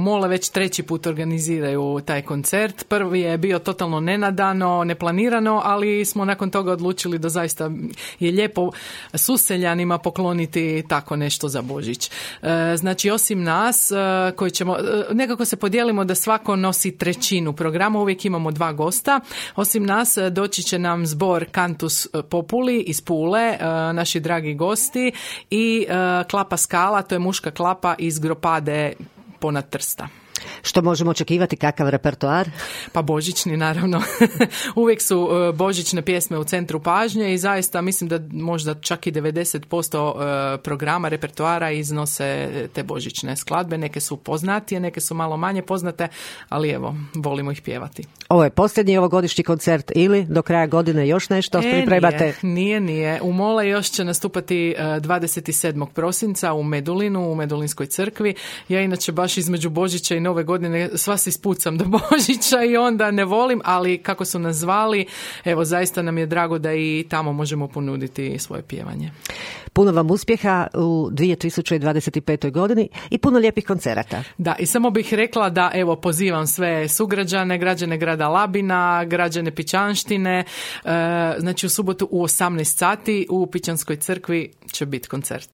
Mole već 3. put organiziraju taj koncert. Prvi je bio totalno nenadano, neplanirano, ali smo nakon toga odlučili da zaista je lijepo suseljanima pokloniti tako nešto za Božić. Znači, osim nas koji ćemo, nekako se podijelimo da svako nosi trećinu programa, uvijek imamo 2 gosta. Osim nas doći će nam zbor Cantus Populi iz Pule, naši dragi gosti, i Klapa Skala, to je muška klapa iz Gropade ponad Trsta. Što možemo očekivati, kakav repertoar? Pa božićni, naravno. Uvijek su božićne pjesme u centru pažnje i zaista mislim da možda čak i 90% programa, repertoara iznose te božićne skladbe. Neke su poznatije, neke su malo manje poznate, ali evo, volimo ih pjevati. Ovo je posljednji ovogodišnji koncert ili do kraja godine još nešto pripremate? Nije. U Mole još će nastupati 27. prosinca u Medulinu, u Medulinskoj crkvi. Ja inače baš između Božića i Nove godine sva se ispucam do Božića i onda ne volim, ali kako su nas zvali, evo zaista nam je drago da i tamo možemo ponuditi svoje pjevanje. Puno vam uspjeha u 2025. godini i puno lijepih koncerata. Da, i samo bih rekla da evo pozivam sve sugrađane, građane grada Labina, građane Pićanštine, znači u subotu u 18 sati u Pićanskoj crkvi će biti koncert.